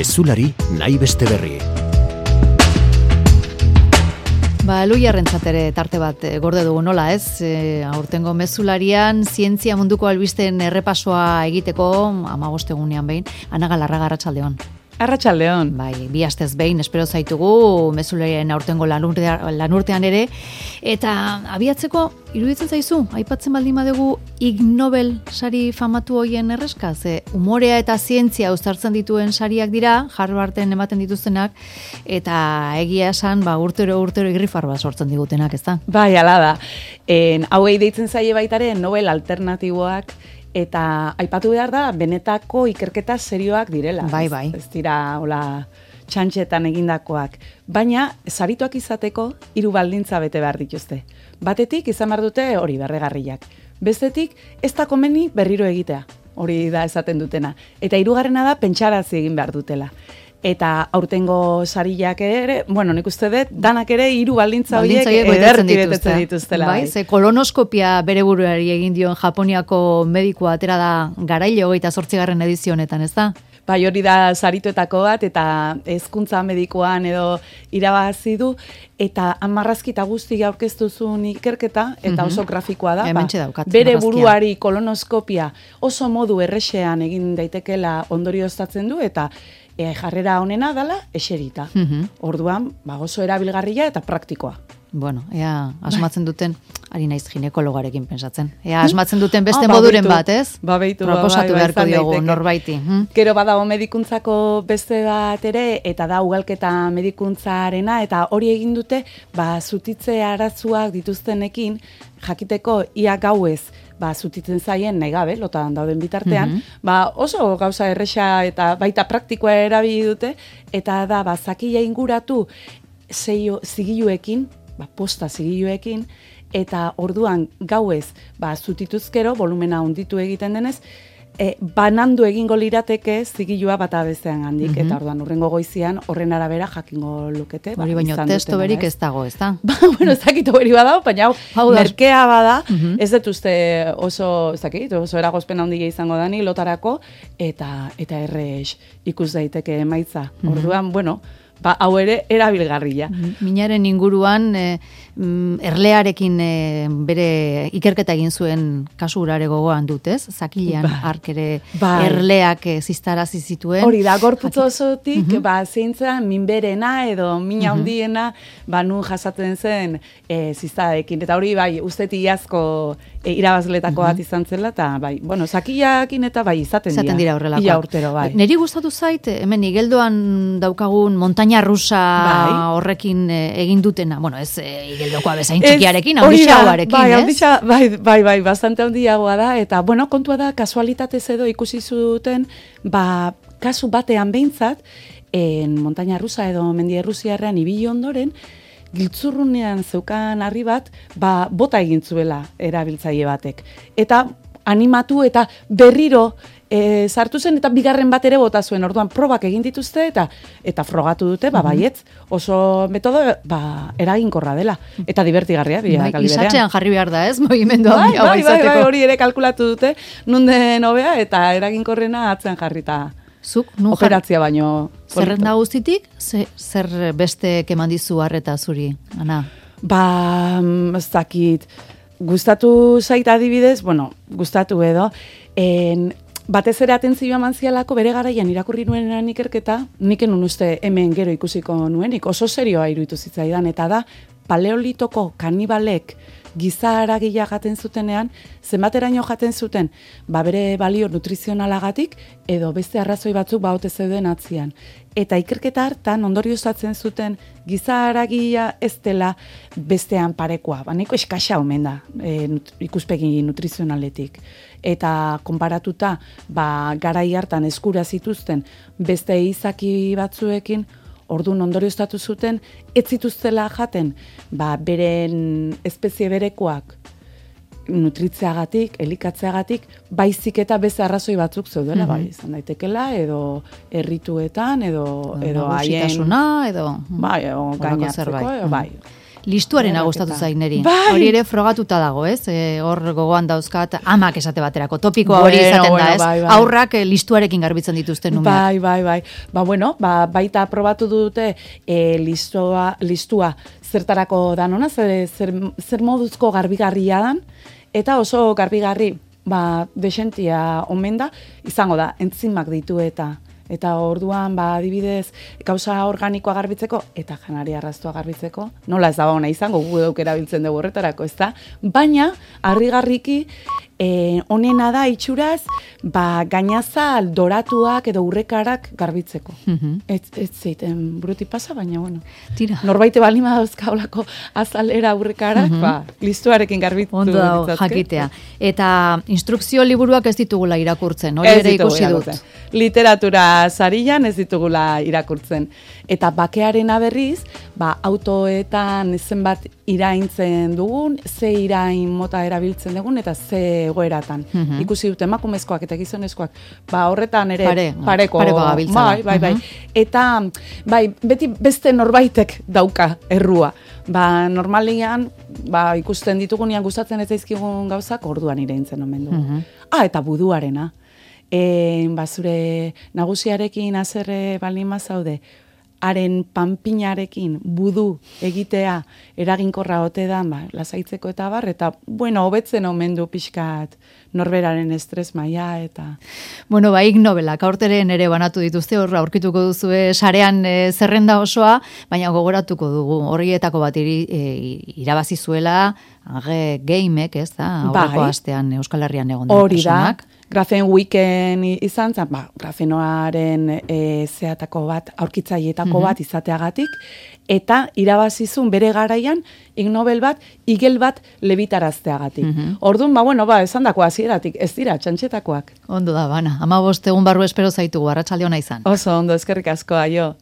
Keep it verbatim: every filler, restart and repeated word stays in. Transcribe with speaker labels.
Speaker 1: Mezulari nahi beste berri.
Speaker 2: Ba, Luiarrentzat ere tarte bat e, gorde dugu nola ez, e, aurtengo mezularian zientzia munduko albisten errepasoa egiteko hamabost egunean behin, Ana Galarraga, arratsaldeon.
Speaker 3: Arratsaldeon.
Speaker 2: Bai, bi astez behin espero zaitugu mezularien aurtengo lanurtean, lanurtean ere, eta abiatzeko iruditzen zaizu, aipatzen baldin badugu Ig Nobel sari famatu hoien erreska, ze umorea eta zientzia uztartzen dituen sariak dira, Harvarden ematen dituztenak, eta egia esan, ba, urtero urtero irrifar bat sortzen digutenak, ez da?
Speaker 3: Bai, ala da. En, hauei deitzen zaie baitaren Nobel alternatiboak, eta aipatu behar da, benetako ikerketa serioak direla.
Speaker 2: Bai, bai.
Speaker 3: Ez, ez dira, hola, txantxetan egindakoak. Baina, sarituak izateko, hiru baldintza bete behar dituzte. Batetik, izan behar dute hori berregarriak. Bestetik, ez da komeni berriro egitea. Hori da esaten dutena. Eta hirugarrena da, pentsarazi egin behar dutela. Eta aurtengo sariak ere, bueno, nik uste dut, danak ere hiru baldintza horiek ederki betetzen dituztela.
Speaker 2: Bai, ze kolonoskopia bere buruari egin dion Japoniako medikua atera da garaile hogeita zortzigarren edizio honetan, ez da?
Speaker 3: Bai, hori da sarituetako bat, eta hezkuntza medikoan edo irabazi du, eta hamarrazki eta guzti aurkeztu zuen ikerketa, eta oso grafikoa da.
Speaker 2: Hementxe daukat,
Speaker 3: bere
Speaker 2: marrazkia.
Speaker 3: buruari kolonoskopia oso modu errexean egin daitekela ondorioztatzen du, eta e, jarrera honena dala eserita. Orduan, ba, oso erabilgarria eta praktikoa.
Speaker 2: Bueno, ea asmatzen duten, ari naiz ginekologarekin pensatzen. Ea asmatzen duten beste
Speaker 3: Ah, ba,
Speaker 2: moduren
Speaker 3: beitu.
Speaker 2: bat, ez?
Speaker 3: Ba, beitu, ba,
Speaker 2: Proposatu
Speaker 3: bai, bai,
Speaker 2: beharko
Speaker 3: izan
Speaker 2: diogu
Speaker 3: daiteke.
Speaker 2: norbaiti. Hm?
Speaker 3: Gero badago medikuntzako beste bat ere, eta da ugalketa medikuntzarena, eta hori egin dute, ba, zutitze arazuak dituztenekin, jakiteko ia gauez, ba, zutitzen zaien nahi gabe, lotan dauden bitartean, ba, oso gauza erresa eta baita praktikoa erabili dute, eta da, ba, zakila inguratu zeio, zigiluekin, ba, posta zigiluekin, eta orduan gauez, ba, zutituzkero, volumena hunditu egiten denez, e, banandu egingo lirateke zigilua bata bestean handik, eta orduan urrengo goizian horren arabera jakingo lukete.
Speaker 2: Hori baino testo berik ez dago, ez da?
Speaker 3: Ba, bueno, ez dakit hori badago, baina hau,
Speaker 2: Hau da.
Speaker 3: merkea bada, ez dut uste oso, ez dakit, oso eragozpen handia izango dani lotarako, eta eta errex ikus daiteke emaitza. Orduan, bueno, ba, hau ere erabilgarria.
Speaker 2: Minaren inguruan e, mm, erlearekin e, bere ikerketa egin zuen kasu urare gogoan dut, ez? Zakilean
Speaker 3: Bai.
Speaker 2: hark ere
Speaker 3: Bai.
Speaker 2: erleak e, ziztarazi zituen.
Speaker 3: Hori da, gorputz osotik, ba, zeintza minberena edo mina handiena, ba, nun jasaten zen e, ziztadekin. Eta hori, bai, usteti iazko e, irabazletako bat izan zela, eta, bai, bueno, zakilakin eta bai, izaten,
Speaker 2: Izaten dira horrelakoak.
Speaker 3: Ia urtero, bai.
Speaker 2: Neri gustatu zait, hemen igeldoan daukagun montaña rusa
Speaker 3: Bai.
Speaker 2: horrekin e, egin dutena. Bueno, ez e, igeldokoa bezain
Speaker 3: Ez,
Speaker 2: txikiarekin,
Speaker 3: hori da,
Speaker 2: handixagoarekin,
Speaker 3: bai,
Speaker 2: ez?
Speaker 3: handixa- bai, bai, bai, bastante handiagoa da, eta, bueno, kontua da, kasualitatez edo ikusi zuten, ba, kasu batean behintzat, en montaña rusa edo mendi errusiarrean ibili ondoren, giltzurrunean zeukan harri bat, ba, bota egin zuela erabiltzaile batek. Eta animatu eta berriro e, sartu zen, eta bigarren bat ere bota zuen. Orduan probak egin dituzte, eta eta frogatu dute, ba, baietz, oso metodo, ba, eraginkorra dela. Eta divertigarria, bila
Speaker 2: Bai,
Speaker 3: aldi berean.
Speaker 2: isatzean jarri behar da, ez? Mogimendu
Speaker 3: Bai,
Speaker 2: hau
Speaker 3: bai, bai,
Speaker 2: izateko.
Speaker 3: bai, hori ere kalkulatu dute, nun den hobea, eta eraginkorrena atzean jarrita.
Speaker 2: Zuk, nun jarri,
Speaker 3: Operatzia baino.
Speaker 2: zerrenda guztitik, ze, zer beste keman dizu harreta zuri, Ana?
Speaker 3: Ba, mm, ez dakit, gustatu zait adibidez, bueno, gustatu edo, en, batez ere atentzioa mantzialako bere garaian irakurri nuenean ikerketa, nik enun uste hemen gero ikusiko nuenik, oso serioa iruditu zitzaidan, eta da, paleolitoko kanibalek giza haragila jaten zutenean, zenbateraino jaten zuten, ba bere balio nutrizionalagatik, edo beste arrazoi batzuk baute zeuden atzian. Eta ikerketa hartan ondorioztatzen zuten giza haragia ez dela bestean parekoa, ba nahiko eskasa omen da, e, nut, ikuspegi nutrizionaletik. Eta konparatuta, ba garai hartan eskura zituzten beste izaki batzuekin, orduan ondorioztatu zuten, ez zituztela jaten, ba, beren espezie berekoak nutritzeagatik, elikatzeagatik, baizik eta beste arrazoi batzuk zeudela, bai, izan daitekela, edo errituetan, edo, edo haien...
Speaker 2: Nagusitasuna, edo...
Speaker 3: Bai, edo
Speaker 2: Horrelako
Speaker 3: gainatzeko,
Speaker 2: zerbait.
Speaker 3: edo, bai.
Speaker 2: listuarena gustatu zain neri.
Speaker 3: Bai.
Speaker 2: Hori ere frogatuta dago, ez? E, hor gogoan dauzkat amak esate baterako. Topikoa hori
Speaker 3: Bueno,
Speaker 2: izaten
Speaker 3: bueno,
Speaker 2: da, ez?
Speaker 3: bai, bai.
Speaker 2: Aurrak eh, listuarekin garbitzen dituzten numeak.
Speaker 3: Bai, bai, bai. Ba, bueno, ba, baita probatu dute e, listua, listua zertarako danona, zer, zer, zer moduzko garbigarria dan, eta oso garbigarri, ba, desentia omen da, izango da, entzimak ditu eta Eta orduan, ba, adibidez, gauza organikoa garbitzeko eta janaria arraztua garbitzeko, nola ez da ona izango, gu euk erabiltzen dugu horretarako, ez da? Baina, harrigarriki, eh, onena da itxuraz, ba, gainazal doratuak edo urrekarak garbitzeko.
Speaker 2: Mhm.
Speaker 3: Ez, ez zeiten buruti pasa, baina, bueno.
Speaker 2: Tira.
Speaker 3: Norbaite balima dauzka olako azalera urrekarak, ba, listuarekin garbitu
Speaker 2: Ondo dago,
Speaker 3: ditzazke.
Speaker 2: jakitea. Eta instrukzio liburuak ez ditugula irakurtzen, hori
Speaker 3: Ez
Speaker 2: ere
Speaker 3: ditugu
Speaker 2: ikusi dut.
Speaker 3: irakurtzen. Literatura sarian ez ditugula irakurtzen. Eta bakearena berriz, ba, autoetan zenbat iraintzen dugun, ze irain mota erabiltzen dugun, eta ze egoeratan.
Speaker 2: Mhm.
Speaker 3: Ikusi dut emakumezkoak eta gizonezkoak, ba, horretan ere
Speaker 2: Pare,
Speaker 3: pareko,
Speaker 2: pareko gabiltzala.
Speaker 3: bai, bai, bai.
Speaker 2: Mhm.
Speaker 3: Eta, bai, beti beste norbaitek dauka errua. Ba, normalian, ba, ikusten ditugunean gustatzen ez zaizkigun gauzak, orduan iraintzen omen dugu.
Speaker 2: Mhm.
Speaker 3: Ah, eta buduarena. E, ba, zure nagusiarekin azerre baldin mazaude, haren panpinarekin budu egitea eraginkorra ote da, ba, lasaitzeko eta bar, eta, bueno, hobetzen omen du pixkat norberaren estres maila eta...
Speaker 2: Bueno, ba, Ig Nobelak aurteren ere banatu dituzte, hor aurkituko duzue sarean e, zerrenda osoa, baina gogoratuko dugu, horietako bat iri, e, irabazi zuela, age gameek, ez da, aurreko
Speaker 3: Bai.
Speaker 2: astean Euskal Herrian egon den
Speaker 3: Hori da,
Speaker 2: personak.
Speaker 3: Grafen Weeken izan zen, ba, grafenoaren e, zehatako bat, aurkitzaietako bat izateagatik, eta irabazizun bere garaian Ig Nobel bat, igel bat lebitarazteagatik. Orduan, ba, bueno, ba, esan dako hasieratik, ez dira, txantxetakoak.
Speaker 2: Ondo da, bana. Hamabost egun barru espero zaitugu, arratsalde ona izan.
Speaker 3: Oso ondo, eskerrik asko, aio.